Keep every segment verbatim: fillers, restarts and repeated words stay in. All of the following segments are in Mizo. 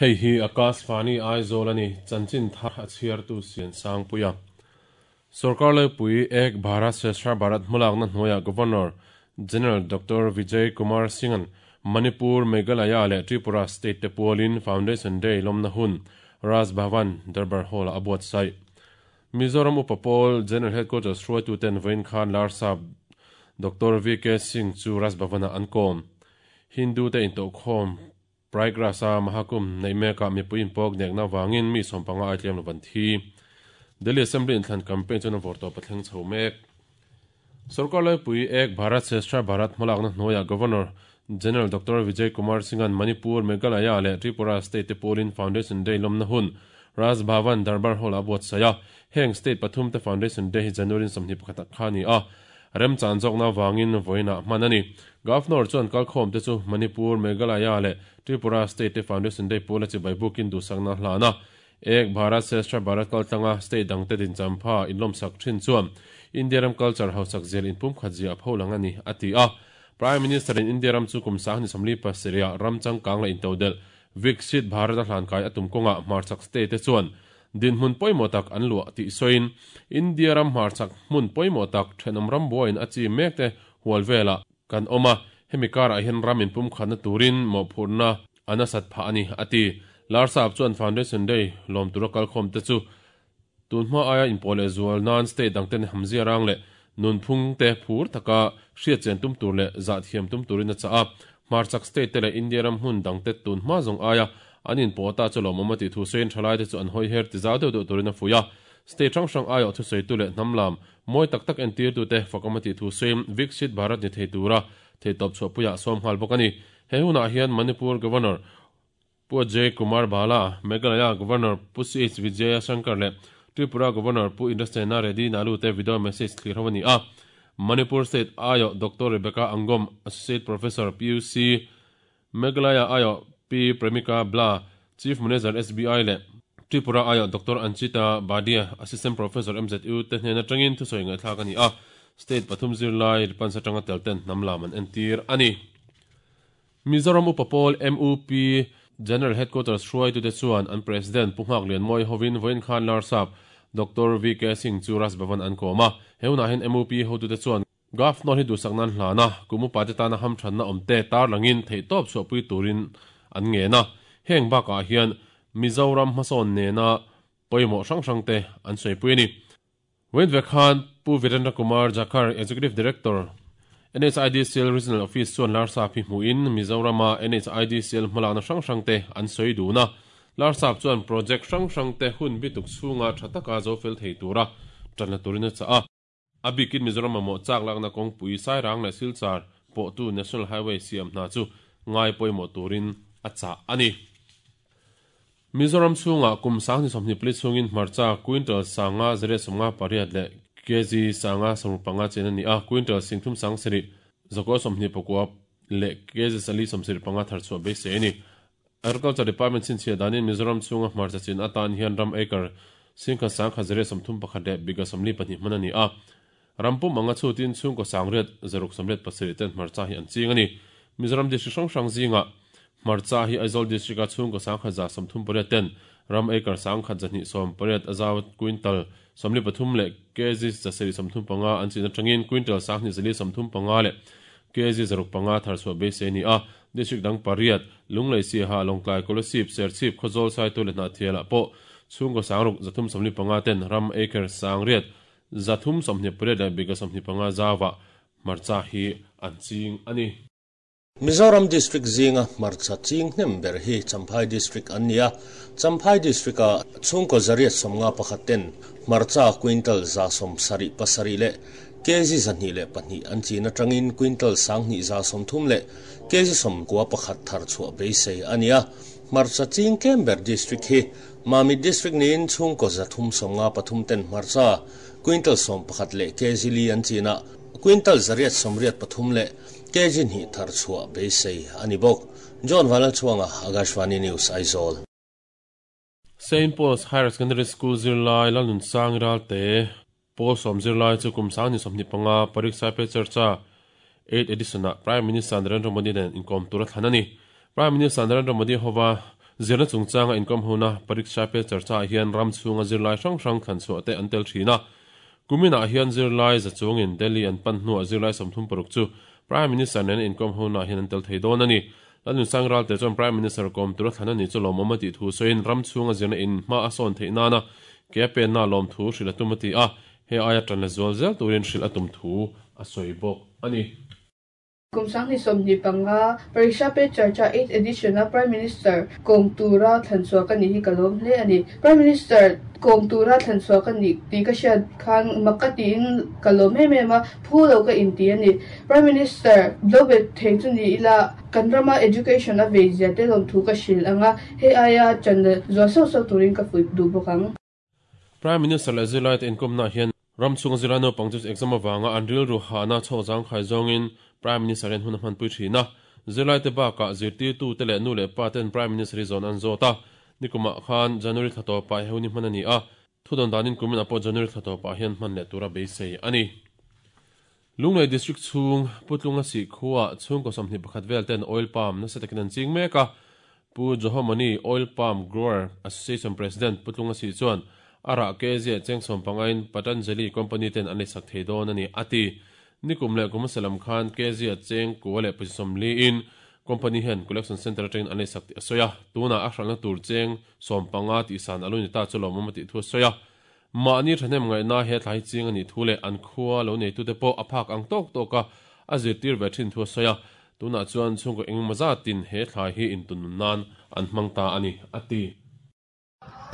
Hei hi Akashvani Aizawl ani chanchin thar a chhiartu sian sangpuia Sarkar Laipui Ek Bharat Shreshtha Bharat hmalakna hnuaiah Governor General Doctor Vijay Kumar Singh-a'n Manipur, Meghalaya leh Tripura State te pualin Foundation Day lawmna hun Raj Bhavan Darbar Hall-ah a buatsaih. Mizoram Upa Pawl General Headquarters hruaituten vawiin khan Larsap Doctor V K Singh chu Raj Bhavan-ah an kawm. Hindu te intawhkhawm Prayagraj-a Mahakumbh neih mekah mipui inpawk nekna avangin mi sawmpanga ai tlem lo van thi. Delhi Assembly inthlan campaign chuan a vawr tawp a thleng chho mek. Sarkar Laipui Ek Bharat Shreshtha Bharat hmalakna hnuaiah Governor General Doctor Vijay Kumar Singh-a'n Manipur, Meghalaya leh Tripura State te pawlin Foundation Day lawmna hun Raj Bhavan Darbar Hall-ah a buatsaih a. Heng state pathum te Foundation Day hi January sawmhnih pakhatah kha a ni a. Remchan zawkna avangin vawiinah hman a ni. Governor chuan kalkhawm te chu Manipur, Meghalaya leh Tripura State te Foundation Day pawla chibai bukin duhsakna hlan a. Ek Bharat Shreshtha Bharat kaltlanga state dangte dinchampha inlawmsak thin chuan India ram culture hausak zel inpumkhat zia a pho lang a ni, a ti a. Prime Minister in India ram chu kum sang ni sawmli pasarih ram changkang leh intodel Viksit Bharat a hlankai a tum kawngah hmarchak state te chuan dinhmun pawimawh tak an luah tih sawiin India ram hmarchak hmun pawimawh tak thenawm ram buaiin a chi mek te hual velah kan awm a, hemi karah hian ram inpumkhatna turin mawhphurhna a nasat phah a ni, a ti. Larsap chuan Foundation Day lawm tura kalkhawm te chu tunhma aia inpawh leh zual nan state dangten hamzia rang leh nunphung te phur taka hriatchian tum tur leh zahthiam tum turin a chah a. Hmarchak state te leh India ram hmun dangte tunhma zawng aia an inpawh ta chu lawmawm a tih thu sawiin thalai te chu an hawi her ti zau deuh deuh turin a fuih a. State hrang hrang aiawh thusawitu leh hnam lam mawi tak tak entirtute fakawm a tih thu sawiin Viksit Bharat ni thei tura theihtawp chhuahpuiah sawm nghal bawk a ni. He hunah hian Manipur Governor Pu Ajay Kumar Bhalla, Meghalaya Governor Pu C H Vijaya Shankar leh Tripura Governor Pu Indrasena Reddy Nalu te video message thlir ho a ni a. Manipur State aiawh Doctor Rebecca Angom, Associate Professor P U C, Meghalaya aiawh P Premika Bla, Chief Manager S B I leh Tripura aiawh Doctor Anchita Badia, Assistant Professor M Z U te hnen atangin thusawi ngaihthlak a ni a. State pathum zirlai ripansa atanga tel ten hnam lam an entir a ni. Mizoram Upa Pawl M U P General Headquarters hruaitute chuan an President Pu Nghak Lianmawi hovin vawiin khan Larsap Doctor V K Singh chu Raj Bhavan an kawm a. He hunah hian M U P hotute chuan Governor hi duhsak nan hlan a, kum upa te tana hamthanna awm te tarlangin theihtawp chhuahpui turin an ngen a. Heng bakah hian Mizoram hmasawn nena pawimawh hrang hrang te an sawipui a ni. Vawiin vek khan Pu Virendra Kumar Jakhar, Executive Director, N H I D C L Regional Office chuan Larsap hi hmuhin Mizorama N H I D C L hmalakna hrang hrang te an sawi dun a. Larsap chuan project hrang hrang te hun bituk chhunga tha taka zo fel thei tura tanna turin a chah a. A bikin Mizoram mamawh chak lakna kawngpui Sairang leh Silchar pawhtu National Highway siam hna chu ngai pawimawh turin a chah a ni. Mizoram chhungah kum sang ni sawmhnih pali chhungin hmarcha quintal sanga zariat sawmnga pariat leh kg sanga sawmruk panga chen a ni a, quintal singthum sang sarih zakua sawmhnih pakua leh kg sali sawmsarih panga thar chhuah beisei a ni. Agriculture Department chhinchhiah danin Mizoram chhunga hmarcha chin atan hian ram acre singkhat sangkhat zariat sawmthum pakhat leh biga sawmli pahnih hman a ni a. Rampum anga chhutin chhungkaw sangriat zaruk sawmriat pasarih ten hmarcha hi an ching a ni. Mizoram district hrang hrang zingah hmarcha hi Aizawl district a chhungkaw sangkhat za sawmthum pariat ten ram acre sangkhat zahnih sawm pariat azaw quintal sawmli pathum leh kg zasarih sawmthum panga an chin atangin quintal sanghnih zali sawmthum panga leh kg zaruk panga thar chhuah beisei a ni a. District dang pariat Lunglei Siaha Lawngtlai Kolasib Serchhip Khawzawl Saitu leh Hnahthialah pawh chhungkaw sangruk zathum sawmli panga ten ram acre sangriat zathum sawmhnih pariat leh biga sawmhnih panga zawah hmarcha hi an ching a ni. Mizoram District zinga hmarcha ching hnem ber hi Champhai District an ni a. Champhai District a chhungkaw zariat sawmnga pakhat ten hmarcha quintal za sawm sarih pasarih leh kg zahnih leh pahnih an chin atangin quintal sanghnih za sawmthum leh kg sawmkua pakhat thar chhuah beisei a ni a. Hmarcha ching tlem ber district hi Mamit District niin chhungkaw zathum sawmnga pathum ten hmarcha quintal sawm pakhat leh kg li an chin a, quintal zariat sawmriat pathum leh kg hnih thar chhuah beisei a ni bawk. John Vanlalchhuanga, Akashvani News, Aizawl. Saint Paul's Higher Secondary School zirlai Lalnun Sang Ralte Paul sawm zirlai chu kum sang ni sawmhnih panga Pariksha Pe Charcha eighth edition ah Prime Minister Narendra Modi nen inkawm tur a thlan a ni. Prime Minister Narendra Modi hova Zirna chungchanga inkom hona Pariksha Pe Charcha hian ram chhunga zirlai hrang hrang thlan chhuah te an tel thin a. Kumina hian zirlai za chungin Delhi an pan hnuah zirlai sawmthum paruk chu Prime Minister nen inkom hona hian an tel thei dawn a ni. Lalnunsang Ralte chuan Prime Minister kawm tura thlan a ni chu lawmawm a tih thu sawiin ram chhunga zirna in hma a sawn theih nana ke a penna lawm thu hrilh a tum a ti a. He aia tan la zual zel turin hrilh a tum thu a sawi bawk a ni. Kum sang hnih sawmhnih panga Pariksha Pe Charcha eighth edition a Prime Minister kawm tura thlan chhuah ka nih hi ka lawm hle a ni. Prime Minister kawm tura thlan chhuah ka nih tih ka hriat khan mak ka tiin ka lawm em em a, phu lo ka inti a ni. Prime Minister lo bet thei chu ni ila kan rama education a vei zia te lawm thu ka hrilh anga hei aia chan zual sauh sauh turin ka fuih duh bawk ang. Prime Minister leh zirlai te inkomna hian ram chhunga zirlai naupang chu exam avanga an rilru hahna chhawk zang khai zawngin Prime Minister hian hun a hmanpui thin a. Zirlai te bakah zirtirtu te leh nu leh pa ten Prime Minister hi zawn an zawt a. Nikumah khan January thla tawpah he hun hi hman a ni a. Thudawn danin kumin ah pawh January thla tawpah hian hman leh tura beisei a ni. Lunglei District chhung Putlunga sih khuah chhungkaw sawmhnih pakhat vel ten oil palm nasa takin an ching mek a. Pu Johomani Oil Palm Grower Association President Putlunga sih chuan a rah ke zia cheng sawm pangain Patanjali Company ten an leisak thei dawn a ni a ti. Nikum leh kum hmasa lam khan ke zia cheng kua leh pawisa sawmli in company hian collection center atangin an leisak tih a sawi a. Tunah a hralhna tur cheng sawm panga tih san a lo ni ta chu lawmawm a tih thu a sawi a. Mahni thahnem ngaihna he thlai ching a nih thu leh an khua lo neitute pawh a phak ang tawk tawk a a zirtir ve thin thu a sawi a. Tunah chuan chhungkaw engemaw zatin he thlai hi intunnun nan an hmang ta a ni a ti.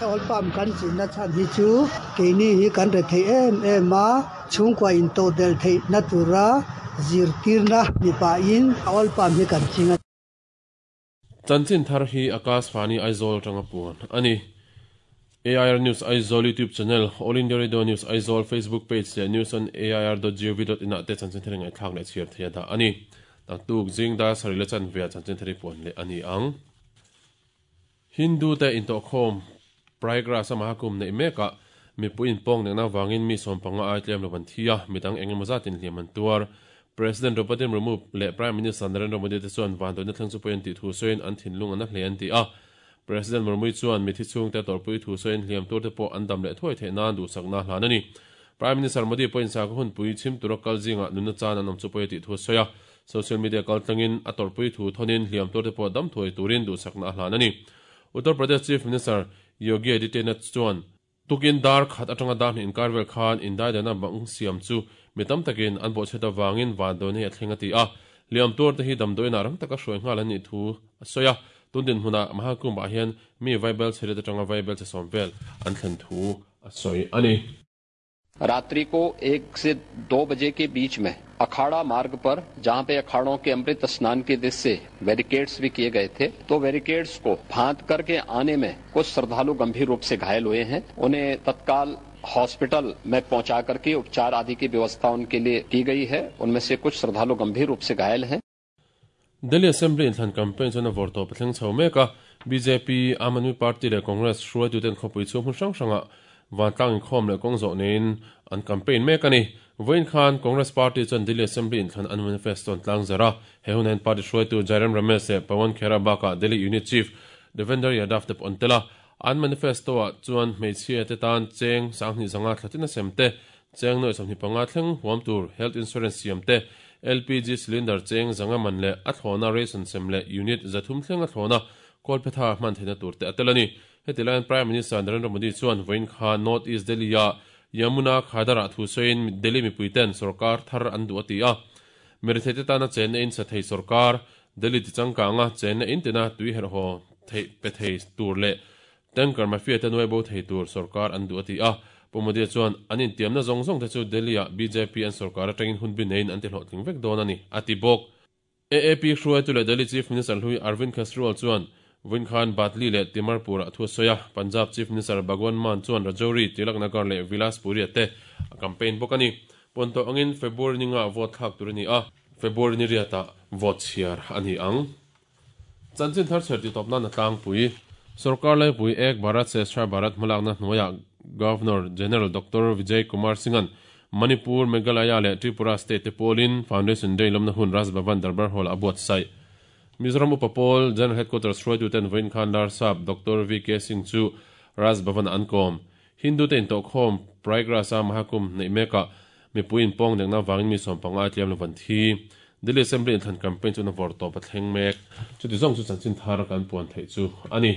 Oil palm kan chinna chhan hi chu keini hi kan re thei em em a, chhungkua in to del thei na tura zirtirna mipa in oil palm hi kan chinga. Chanchin thar hi Akashvani Aizawl tanga puan a ni. A I R News Aizawl YouTube channel, All India Radio News Aizawl Facebook page leh news on A I R dot gov dot in ah te chanchin thar ngai thlak leh chhiar thei a dah a ni. Tuk zing da sarih le chan ve chanchin thar hi puan leh a ni ang. Hindu te intawhkhawm Prayagraj a Mahakumbh neih mekah mipui inpawng nekna vangin mi sawm panga ai tlem lo an thi a, midang engemaw zatin hliam an tuar. President Draupadi Murmu leh Prime Minister Narendra Modi te chuan vanduaina thleng chu pawhin an tih thu sawiin an thinlung an a hle an ti a. President Murmu chuan mithi chhung te tawrhpui thu sawiin hliam tur te pawh an dam leh thuai theih nan duhsakna hlan a ni. Prime Minister Modi pawhin sakhaw hunpui chhim tura kal zingah nunna chan an awm chu pawhin a tih thu a sawi a. Social media kal tlangin a tawrhpui thu thawnin hliam tur te pawh dam thuai turin duhsakna a hlan a ni. Uttar Pradesh Chief Minister Yogi Adityanath chuan tukin dar khat atanga dar hnih inkar vel khan indaidana bang siam chu mi tam takin an bawhchhet avangin vanduaina hi a thleng a ti a. Hliam tur te hi damdawiinah rang taka hruai nghal an nih thu a sawi a. Tundin hmunah Mahakumbh ah hian mi vaibel chhe let atanga vaibel che sawm vel an thlen thu a sawi a ni. रात्रि को एक से दो बजे के बीच में अखाड़ा मार्ग पर, जहां पे अखाड़ों के अमृत स्नान के उद्देश्य से बैरिकेड्स भी किए गए थे, तो बैरिकेड्स को फांद करके आने में कुछ श्रद्धालु गंभीर रूप से घायल हुए हैं। उन्हें तत्काल हॉस्पिटल में पहुंचा करके उपचार आदि की व्यवस्था उनके लिए की गई है। उनमें से कुछ श्रद्धालु गंभीर रूप से घायल हैं। Delhi Assembly inthlan campaign chuan a vawr tawp a thleng chho mek a. B J P, Aam Aadmi Party leh Congress hruaituten khawpui chu hmun hrang hrangah vantlang inkhawm leh kawng zawh neiin an campaign mek a ni. Vawiin khan Congress Party chuan Delhi Assembly inthlan an manifesto an tlang zar a. He hun hian party hruaitu Jairam Ramesh leh Pawan Khera bakah Delhi Unit Chief Devender Yadav te pawh an tel a. An manifesto ah chuan hmeichhia te tan cheng sanghnih zanga thlatin a sem te, cheng nawi sawmhnih panga thleng huam tur health insurance siam te, L P G cylinder cheng zanga man leh a thlawna ration sem leh unit zathum thleng a thlawna kawlphetha hman theihna tur te a tel a ni. Heti laiin Prime Minister Narendra Modi chuan vawiin kha North East Delhi a Yamuna Khadar-ah thu sawiin Delhi mipuiten sarkar thar an duh a ti a. Mirithei te tana chenna in sa thei sarkar Delhi tichangkanga chenna in tina tui herhaw thei pe thei tur leh tanker mafia te nuai bo thei tur sarkar an duh a ti a. Pu Modi chuan an intiamna zawng zawng te chu Delhi ah B J P an sarkar atangin hun bi neiin an ti hlawhtling vek dawn a ni a ti bawk. A A P hruaitu leh Delhi Chief Minister Hlui Arvind Kejriwal chuan vawiin khan Badli leh Timarpur ah thu a sawi a. Punjab Chief Minister Bhagwant Mann chuan Rajouri, Tilak Nagar leh Vilaspuri te a campaign bawk a ni. Ponto angin February ni nga vote thlak tur a ni a. February ni riatah vote chhiar a ni ang. Chanchin thar chher ti tawpna na tlangpui Sarkar Laipui Ek Bharat Shreshtha Bharat hmalakna hnuaiah Governor General Doctor Vijay Kumar Singhan Manipur, Meghalaya leh Tripura State te pawlin Foundation Day lawmna hun Raj Bhavan Darbar Hall a buatsaih. Mizoram Upa Pawl General Headquarters hruaitu ten vawiin khan Larsap Doctor V K Singh chu Raj Bhavan an kawm. Hindu te intawhkhawm Prayagraj-a Mahakumbh neih mekah mipui inpawng nekna vangin mi sawm panga tliam lo van thi. Delhi Assembly inthlan campaign chu na vawr tawp a thleng mek. Chuti zawng chu chanchin thar kan puan theih chu a ni.